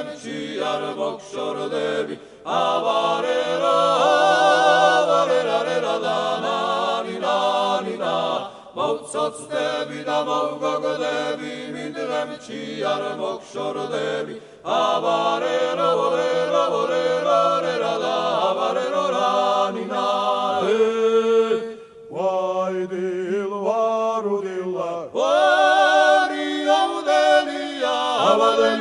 Bidramitxiar bokxor debi Abarera, abarera da na Mautzotz debi da maugog debi Bidramitxiar bokxor debi Abarera, abarera da Abarera nina Wai dil waru dilla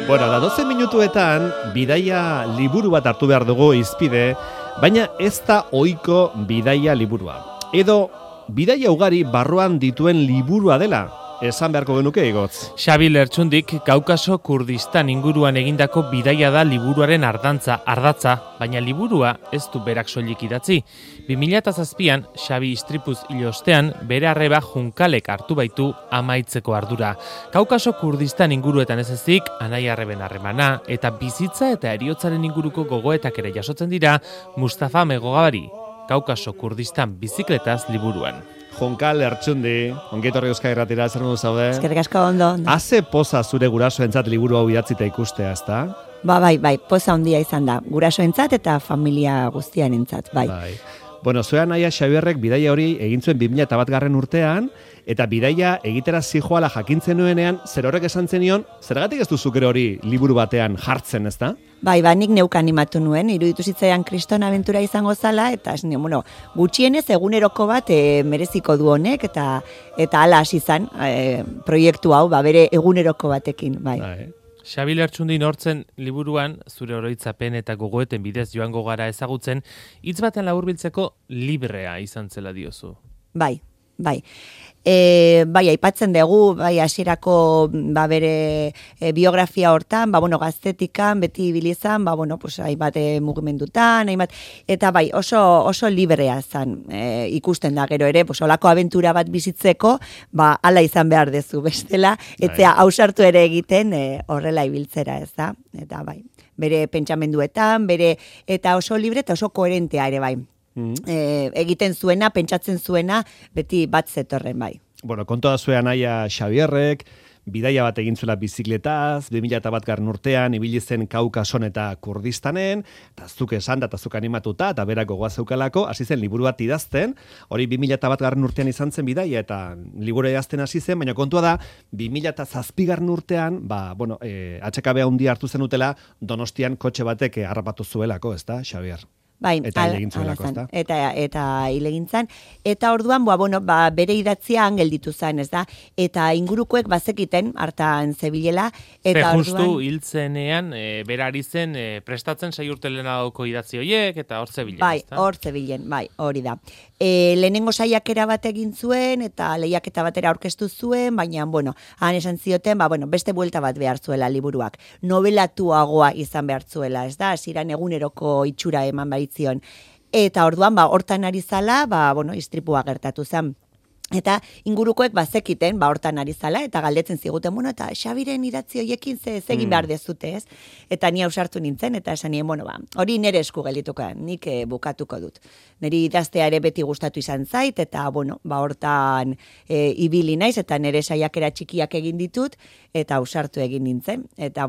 Bueno, da 12 minutuetan bidaia liburu bat hartu behar dugu izpide, baina ez da ohiko bidaia liburua. Edo bidaia ugari barruan dituen liburua dela, esan beharko genuke igotz. Xabi Lertxundik Kaukaso Kurdistan inguruan egindako bidaia da liburuaren ardatza, baina liburua ez du berak soilik idatzi. 2007an Xabi istripuz hil ostean bere arreba Junkalek hartu baitu amaitzeko ardura. Kaukaso Kurdistan inguruetan ez ezik, anai arreben harremana eta bizitza eta heriotzaren inguruko gogoetak ere jasotzen dira Mustafa Megogabari, Kaukaso Kurdistan bizikletaz liburuan. Jonkal Lertxundi, ongietorri Euskal Irratira, zer modu zaude? Eskerrik asko ondo. Haze poza zure gurasoentzat liburu hau idatzita ikustea, ezta? Bai, poza handia izan da. Gurasoentzat eta familia guztiarentzat, bai. Bueno, zure anaia Xabierrek bidaia hori egin zuen 2001 urtean, eta bidaia egitera zijoala jakintzen nuenean, zer horrek esan zenion, zergatik ez duzukero hori liburu batean jartzen, ezta? Bai, nik neuk animatu nuen, iruditu zitzaidan kriston abentura izango zala, eta gutxienez eguneroko bat mereziko du honek, eta hala hasi izan proiektu hau, bere eguneroko batekin, bai. Xabi Lertxundi nortzen liburuan, zure oroitzapen eta gogoeten bidez joango gara ezagutzen, hitz baten laburbiltzeko librea izan zela diozu. Bai. Aipatzen dugu, hasierako bere biografia hortan, gaztetikan, beti ibilizan, hainbat mugimendutan, eta oso librea zan ikusten da gero ere, olako abentura bat bizitzeko, hala izan behar dezu bestela, etzea hausartu ere egiten horrela ibiltzera, ez da? Eta bere pentsamenduetan, eta oso libre eta oso koherentea ere bai. Egiten zuena, pentsatzen zuena, beti bat zetorren bai. Bueno, kontoa zuen anaia Xabierrek, bidaia bat egin zuela bizikletaz, 2001 urtean, ibili zen Kaukason eta Kurdistanen, eta zuk esan da, eta zuk animatuta, eta berako goazeukalako, hasi zen liburu bat idazten, hori 2001 urtean izan zen bidaia, eta liburu idazten hasi zen, baina kontua da, 2007 urtean, HKB handia hartu zen utela, Donostian kotxe batek harrapatu zuelako, ez da, Xabier? Bai, eta hilegintzulako, ezta? Eta hilegintzan. Eta orduan, bere idatzian gelditu zen, ez da? Eta ingurukoek bazekiten, hartan zebilela. Justu hiltzenean, berari zen, prestatzen 6 urte lehenagoko idatzi horiek, eta hor zebilen, ez da? Bai, hor zebilen, hori da. Lehenengo saiakera bat egin zuen, eta lehiaketa batera aurkeztu zuen, baina, han esan zioten, beste buelta bat behar zuela liburuak. Nobelatuagoa izan behar zuela, ez da? Hasieran eguneroko itxura eman baitzion. Eta orduan, hortan ari zala, istripua gertatu zen. Eta ingurukoek bazekiten, hortan ari zala, eta galdetzen ziguten, eta Xabiren idatzi horiekin ze egin behar dezute, ez? Eta ni ausartu nintzen, eta esan nien, hori nire esku geldituko, nik bukatuko dut. Niri idaztea ere beti gustatu izan zait, eta, hortan ibili naiz, eta nire saiakera txikiak egin ditut, eta ausartu egin nintzen. Eta,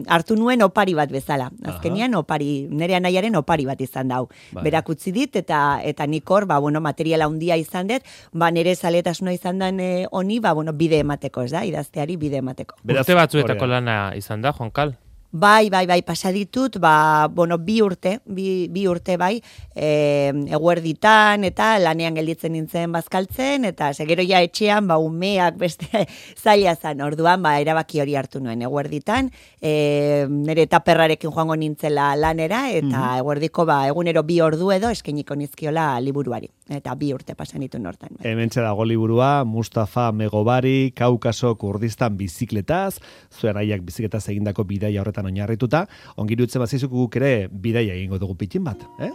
hartu nuen opari bat bezala. Azkenian, nire anaiaren opari bat izan dau. Berak utzi dit, eta nik hor, materiala handia izan dut, nire zaletasuna izan den honi, bide emateko, ez da, idazteari bide emateko. Urte batzuetako lana izan da, Jonkal? Bai, pasaditut, bi urte bai, eguerditan, eta lanean gelditzen nintzen bazkaltzen, eta segero ja etxean, umeak beste zaila zan, orduan, erabaki hori hartu nuen, eguerditan, nire taperrarekin joango nintzela lanera, eta eguerdiko, egunero 2 ordu edo eskainiko nizkiola liburuari, eta 2 urte pasanitu nortan. Hementxe dago liburua, Mustafa Megobari, Kaukaso Kurdistan bizikletaz, zuen aiak bizikletaz egindako bidaia horretan oinarrituta, ongirutzen bazizuk guk ere bidaia egingo dugu pitin bat, eh?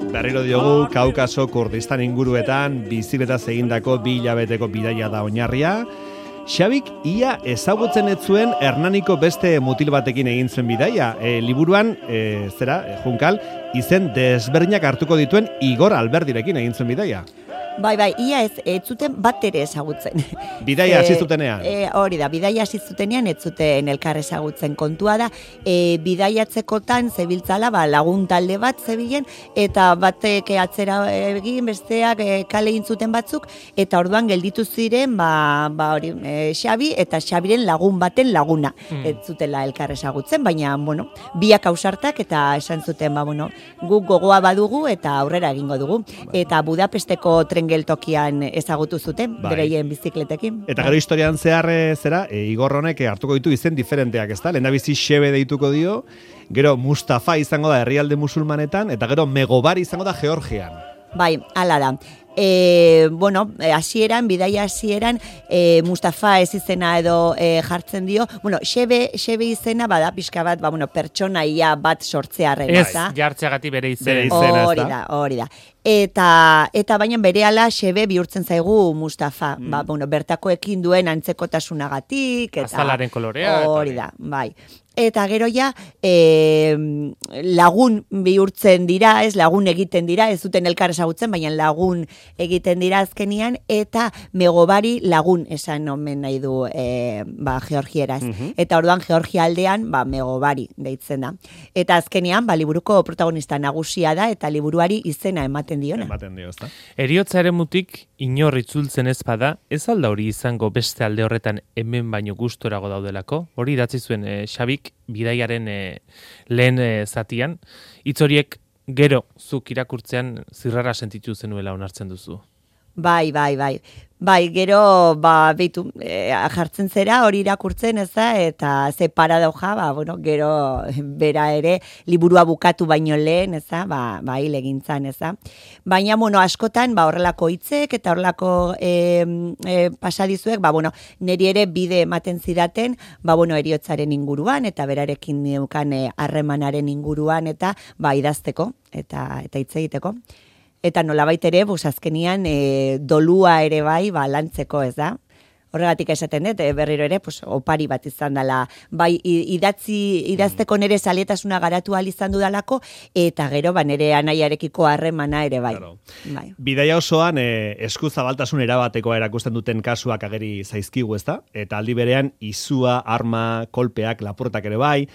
Berriro diogu, Kaukaso Kurdistan inguruetan bizikletaz egindako 2 hilabeteko bidaia da oinarria. Xabik ia ezagutzen ez zuen Hernaniko beste mutil batekin egin zuen bidaia. Liburuan, Junkal, izen desberdinak hartuko dituen Igor Alberdirekin egin zuen bidaia. Bai, ia ez zuten bat ere ezagutzen. Bidaia hasi zutenean. Hori da, bidaia hasi zutenean ez zuten elkar ezagutzen. Kontua da, bidaiatzekotan zebiltzala, lagun talde bat zebilen, eta batek atzera egin, besteak kale intzuten batzuk, eta orduan gelditu ziren, Xabi eta Xabiren lagun baten laguna. Ez zutela elkar ezagutzen, baina, biak ausartak, eta esan zuten, guk gogoa badugu, eta aurrera egingo dugu. Eta Budapesteko tren geltokian ezagutu zuten, bereien bizikletekin. Eta gero historian zehar Igor honek hartuko ditu izen diferenteak, ezta? Lehendabizi Xebe deituko dio, gero Mustafa izango da herrialde musulmanetan, eta gero Megobari izango da Georgian. Bai, hala da. Bidaia hasieran, Mustafa ez izena edo jartzen dio. Xebe izena bada pixka bat, pertsonaia bat sortzearren. Ez, jartzeagatik bere izena. Hori da. Eta baina berehala Xebe bihurtzen zaigu Mustafa. Bertakoekin duen antzekotasunagatik. Azalaren kolorea. Hori da, bai. Eta gero lagun bihurtzen dira, lagun egiten dira, ez duten elkar ezagutzen, baina lagun egiten dira azkenian, eta Megobari lagun esan omen nahi du Georgieraz. Eta orduan Georgia aldean Megobari deitzen da. Eta azkenian liburuko protagonista nagusia da, eta liburuari izena ematen diona. Ezta? Heriotzaren mutik inor itzultzen ez bada, ez alda hori izango beste alde horretan hemen baino gustorago daudelako? Hori idatzi zuen Xabik bidaiaren lehen zatian, hitz horiek gero zuk irakurtzean zirrara sentitu zenuela onartzen duzu. Bai, gero, jartzen zera hori irakurtzen, eta ze paradoja, gero bera ere liburua bukatu baino lehen, hil egintzan, Baina, askotan, horrelako hitzek eta horrelako pasadizuek, niri ere bide ematen zidaten, heriotzaren inguruan, eta berarekin neukan harremanaren inguruan, eta idazteko, eta hitz egiteko. Eta nolabait ere, azkenian dolua ere lantzeko, ez da? Horregatik esaten dut, berriro ere, opari bat izan dela, idazteko nere zalietasuna garatu ahal izan dudalako, eta gero, nere anaiarekiko harremana ere bai. Bidaia osoan, eskuzabaltasun erabatekoa erakusten duten kasuak ageri zaizkigu, ez da? Eta aldi berean, izua, arma, kolpeak, lapurtak ere bai,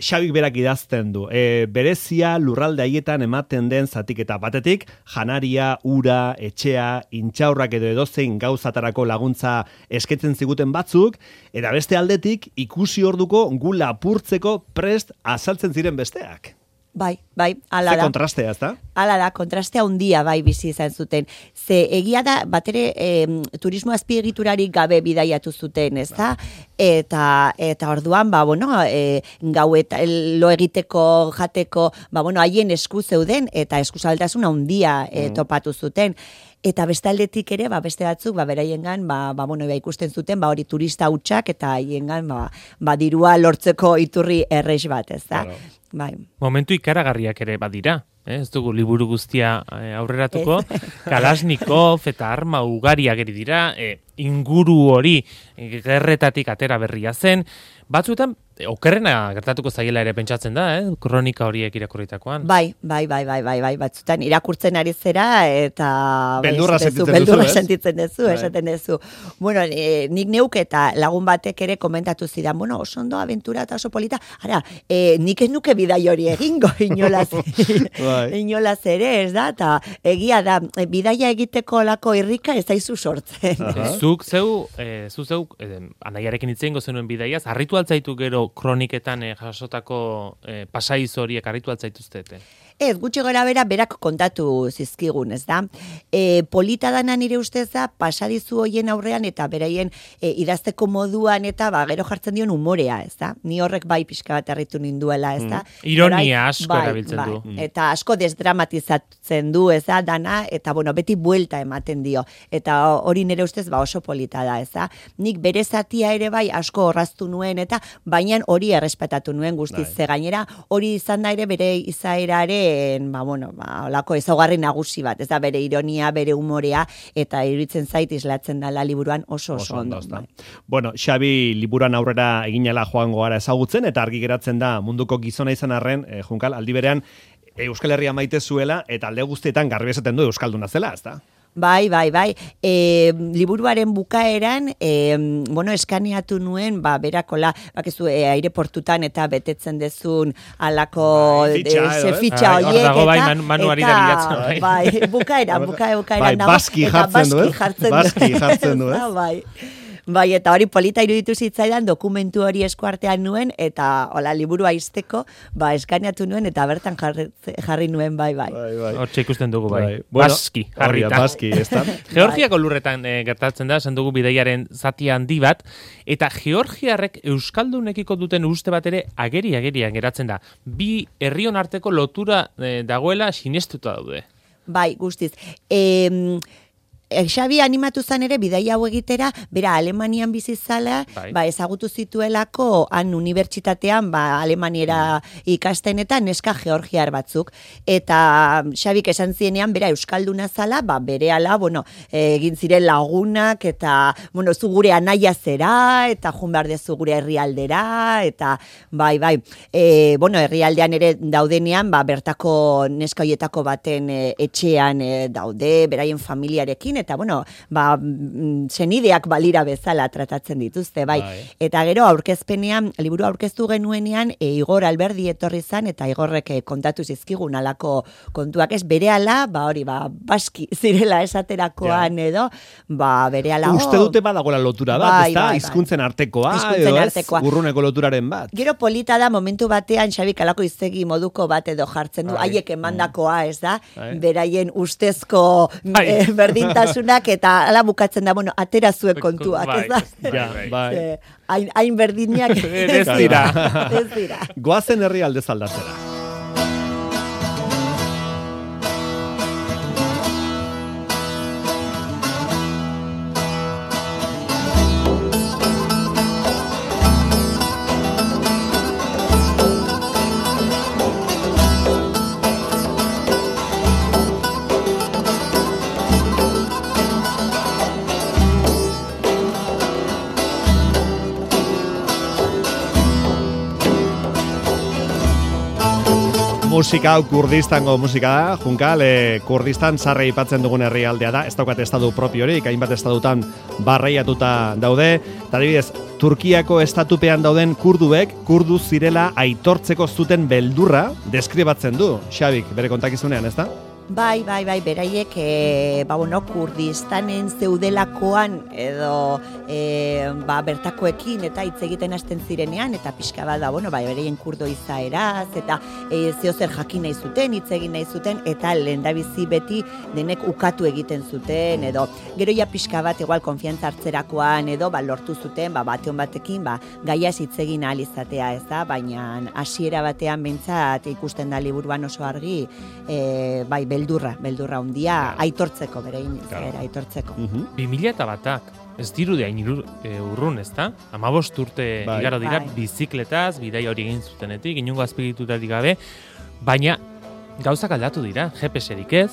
Xabik berak idazten du. Berezia lurralde haietan ematen den zatiketa batetik, janaria, ura, etxea, intxaurrak edo edozein gauzatarako laguntza esketzen ziguten batzuk, eta beste aldetik ikusi orduko gu lapurtzeko prest azaltzen ziren besteak. Bai, ala da. Ze kontrastea, ez da? Ala da, kontrastea handia bizi izan zuten. Ze egia da, batere turismo azpiegiturarik gabe bidaiatu zuten, ez da? Eta orduan, gau eta lo egiteko, jateko, haien esku zeuden, eta eskuzaltasuna handia topatu zuten. Eta bestaldetik ere, beste batzuk, beraiengan, ikusten zuten, hori turista hutsak, eta haiengan, dirua lortzeko iturri errex bat, ez da? Bai. Momentu ikaragarriak ere badira, ez dugu liburu guztia aurreratuko, Kalashnikov eta arma ugari ageri dira, inguru hori gerretatik atera berria zen, batzuetan okerrena gertatuko zaiela ere pentsatzen da, kronika horiek irakurritakoan. Bai, batzutan irakurtzen ari zera, eta beldurra sentitzen duzu, esaten duzu. Bueno, nik neuk eta lagun batek ere komentatu zidan, oso ondo aventura eta oso polita, nik ez nuke bidai hori egingo, inolaz ere, ez da, eta egia da, bidaia egiteko lako irrika ez daizu sortzen. Zuk zeu, anaiarekin hitz egingo zenuen bidaiaz, harritu altzaitu gero kroniketan jasotako pasaiz horiek harritu altzaituztete? Ez, gutxi gara berak kontatu zizkigun, ez da? Polita dana nire ustez da, pasadizu hoien aurrean eta beraien idazteko moduan eta gero jartzen dion umorea, ez da? Ni horrek pixka bat harritu ninduela, ez da? Ironia asko erabiltzen du. Eta asko desdramatizatzen du, ez da, dana, eta beti buelta ematen dio. Eta hori nire ustez oso polita da, ez da? Nik bere zatia ere asko horraztu nuen, eta baina hori errespetatu nuen guztiz, ze gainera hori izan da ere bere izaera ere duen, olako ezaugarri nagusi bat, ez da bere ironia, bere umorea, eta iruditzen zait islatzen dela liburuan oso ondo. Bai. Bueno, Xabi liburuan aurrera eginela joango gara ezagutzen, eta argi geratzen da munduko gizona izan arren, Junkal, aldi berean, Euskal Herria maite zuela, eta alde guztietan garbi esaten du euskalduna zela, ez da? Bai. Liburuaren bukaeran, eskaneatu nuen, berakola, bakizu, aireportutan eta betetzen dezun alako fitxa horiek. Hor dago, manuari da bilatzen. Bai, bukaeran. Baski jartzen du, ez? Bai, eta hori polita iruditu zitzaidan, dokumentu hori eskuartean nuen, eta liburua izteko, eskaneatu nuen, eta bertan jarri nuen, bai. Hortxe ikusten dugu, bai. Baski, jarrita. Baski, ez da? Georgiako lurretan gertatzen da, esan dugu bidaiaren zati handi bat, eta georgiarrek euskaldunekiko duten uste bat ere agerian geratzen da. Bi herrion arteko lotura dagoela sinestuta daude. Bai, guztiz. Xabi animatu zan ere bidaia hau egitera, bera Alemanian bizi zala, ezagutu zituelako han unibertsitatean, alemaniera ikasten eta neska georgiar batzuk. Eta Xabik esan zienean, bera euskalduna zala, berehala, egin ziren lagunak, eta, zu gure anaia zera, eta jun behar dezu gure herrialdera, eta, herrialdean ere daudenean, bertako neska hoietako baten etxean daude, beraien familiarekin, eta senideak balira bezala tratatzen dituzte, bai. Eta gero aurkezpenean, liburu aurkeztu genuenean, Igor Alberdi etorri zan, eta Igorrek kontatu zizkigun alako kontuak ez, berehala, baski zirela esaterakoan edo, berehala. Uste dute badagoela lotura bat, ez da? Hizkuntzen artekoa, edo ez? Urruneko loturaren bat. Gero polita da, momentu batean, Xabik alako iztegi moduko bat edo jartzen du, haiek emandakoa, ez da? Beraien ustezko berdintasun eta ala bukatzen da, atera zuen kontuak, ez da? Hain berdinak ez dira. Goazen herrialdez aldatzera. Musika hau Kurdistango musika da, Junkal, Kurdistan sarre aipatzen dugun herrialdea da, ez daukat estatu propiorik, hainbat estatutan barreiatuta daude, eta adibidez, Turkiako estatupean dauden kurduek, kurdu zirela aitortzeko zuten beldurra deskribatzen du, Xabik, bere kontakizunean, ez da? Bai, beraiek, Kurdistanen zeudelakoan edo bertakoekin eta hitz egiten hasten zirenean, eta pixka bat da, beraien kurdo izaeraz, eta zeozer jakin nahi zuten, hitz egin nahi zuten, eta lehendabizi beti denek ukatu egiten zuten, edo gero ja pixka bat, igual konfiantza hartzerakoan, edo lortu zuten, bateon batekin, gaiaz hitz egin ahal izatea, ez da, baina hasiera batean behintzat ikusten da liburuan oso argi, beldurra hundia aitortzeko, berein aitortzeko. 2001ak, ez dirude hain urrun, ez da? 15 urte igaro dira bizikletaz, bidai hori egin zutenetik, inungo azpigitutarik gabe, baina gauzak aldatu dira, GPS-erik ez,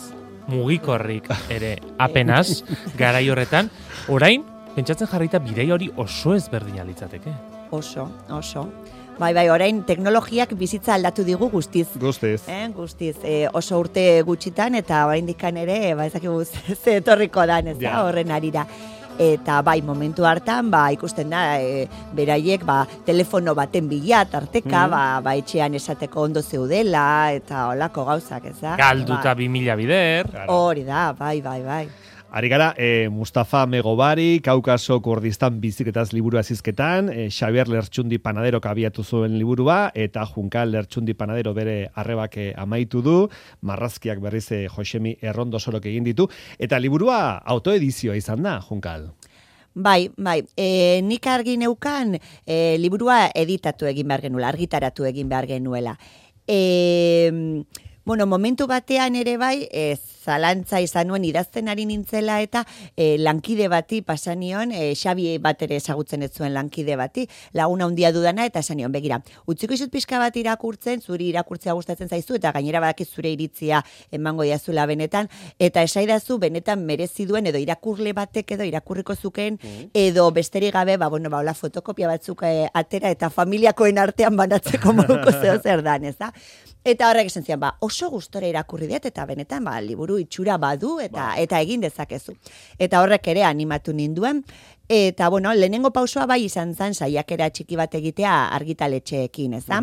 mugikorrik ere apenas, garai horretan, orain, pentsatzen jarrita bidai hori oso ezberdina litzateke. Oso. Bai, orain teknologiak bizitza aldatu digu guztiz. Guztiz. Guztiz. Oso urte gutxitan, eta oraindikan ere, ezakigu ze etorriko dan, ez da, horren arira. Eta momentu hartan, ikusten da, beraiek, telefono baten bila, tarteka, etxean esateko ondo zeudela, eta holako gauzak, ez da? Galduta 2000 bider. Hori da, bai. Ari gara, Mustafa Megobari, Kaukaso Kurdistan bizikletaz liburua zizketan, Xabier Lertxundi Panadero abiatu zuen liburua, eta Junkal Lertxundi Panadero bere arrebak amaitu du, marrazkiak berriz Josemi Errondo sorok egin ditu, eta liburua autoedizioa izan da, Junkal. Bai, nik argi neukan liburua editatu egin behar genuela, argitaratu egin behar genuela. Momentu batean ere bai, zalantza izan nuen idazten ari nintzela eta lankide bati pasanion, Xabi bat ere ezagutzen ez zuen lankide bati, laguna handia dudana eta esanion, begira, utziko izut pixka bat irakurtzen, zuri irakurtzea gustatzen zaizu eta gainera badakiz zure iritzia emango jazula benetan, eta esaidazu benetan merezi duen edo irakurle batek edo irakurriko zuken, edo besterik gabe, hola fotokopia batzuk atera eta familiakoen artean banatzeko moduko zer dan, ez da? Eta horrek esan zian, oso gustora irakurri dut, eta benetan, liburu itxura badu, eta egin dezakezu. Eta horrek ere animatu ninduen, eta, lehenengo pausoa bai izan zen, saiakera txiki bat egitea argitaletxeekin, ez da?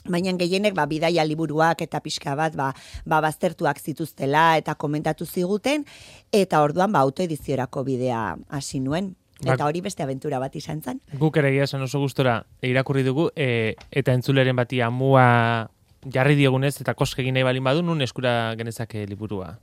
Baina gehienek bidaia liburuak eta pixka bat baztertuak zituztela eta komentatu ziguten, eta orduan autoediziorako bidea hasi nuen. Eta hori beste abentura bat izan zen. Guk ere esan oso gustora irakurri dugu, eta entzuleren bati amua jarri diegunez eta koske egin nahi balin badu, nun eskura genezake liburua?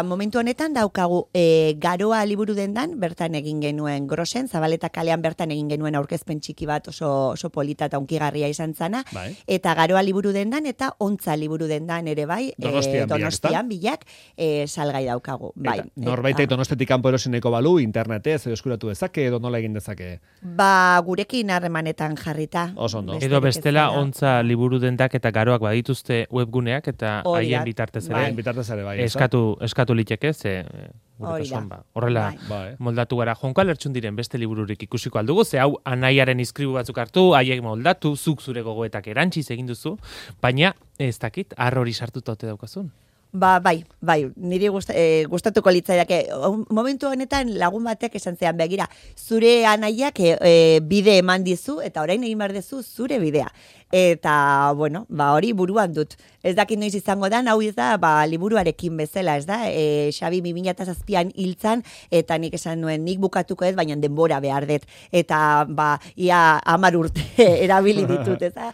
Momentu honetan daukagu Garoa liburu dendan, bertan egin genuen Grosen, Zabaleta kalean bertan egin genuen aurkezpen txiki bat oso polita eta unkigarria izan zana, eta Garoa liburu dendan eta Ontza liburu dendan ere bai, Donostian bilak salgai daukagu. Norbaitek Donostiatik kanpo erosineko balu, internetez edo eskuratu dezake, edo nola egin dezake? Gurekin harremanetan jarrita. Oso ondo. Edo bestela Ontza liburu dendak eta Garoak badituzte webguneak eta haien bitartez ere eskatu liteke horrela moldatu gara. Jonko Alertxun diren beste libururik ikusiko aldugu, ze hau anaiaren iskribu batzuk hartu, haiek moldatu, zuk zure gogoetak erantziz egin duzu, baina ez dakit, hori sartuta ote daukazun. Bai, niri gustatuko litzaidake. Momentu honetan lagun batek esan zean, begira, zure anaiak bide eman dizu, eta orain egin behar dezu zure bidea. Eta, hori buruan dut. Ez dakit noiz izango da, hau da, liburuarekin bezala, ez da? Xabi 2007an hiltzan, eta nik esan nuen, nik bukatuko ez, baina denbora behar dut. Eta, ia 10 urte erabili ditut, ez da?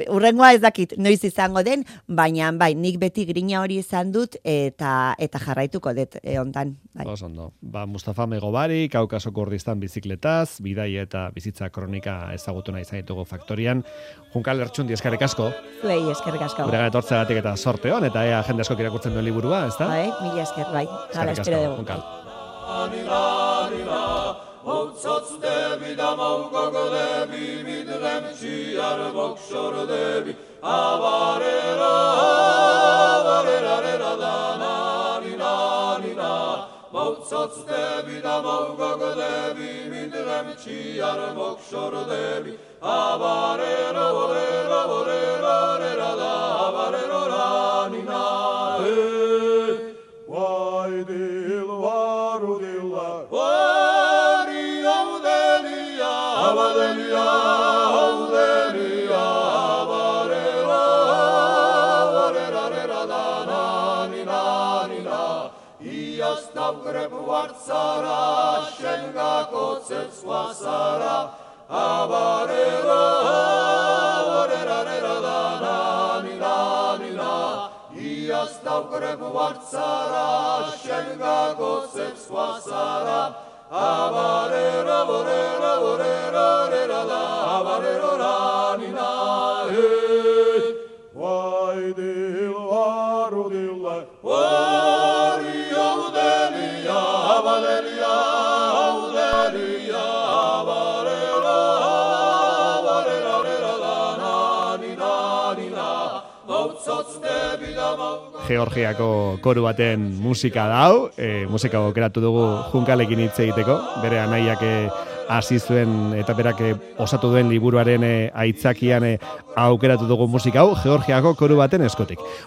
Urrengoa ez dakit noiz izango den, baina, nik beti grina hori izan dut, eta jarraituko dut hontan. Ondo. Mustafa Megobari, Kaukaso Kurdistan bizikletaz, bidai eta bizitza kronika ezagutu nahi izan ditugu Faktorian. Junka Alertxundi, eskerrik asko. Zuei, eskerrik asko. Gure etortzeagatik eta sorte hon, eta jende asko irakurtzen duen liburua, ez da? Mila esker, bai. Hala, espero dugu. Junkal. Hotzatz debi da maugog debi, midlem txiar bokxor debi, abarera da na. Hotzatz debi da maugog debi, midlem txiar bokxor debi, abarera da, abarera nina. Vay dil varu dillar, vari avdelia, avdelia, avarera da nina. Ias davgreb vartsara, šengako cecva sara, avarera da nina. Ias davgreb vartsara, šengako cecva sara, avarera da, avarera nina. Vay dil varu dilla, vari avdelia, avdelia, Georgiako koru baten musika dau, musika aukeratu dugu Junkalekin hitz egiteko, bere anaiak hasi zuen eta berak osatu duen liburuaren aitzakian aukeratu dugu musika hau, Georgiako koru baten eskotik.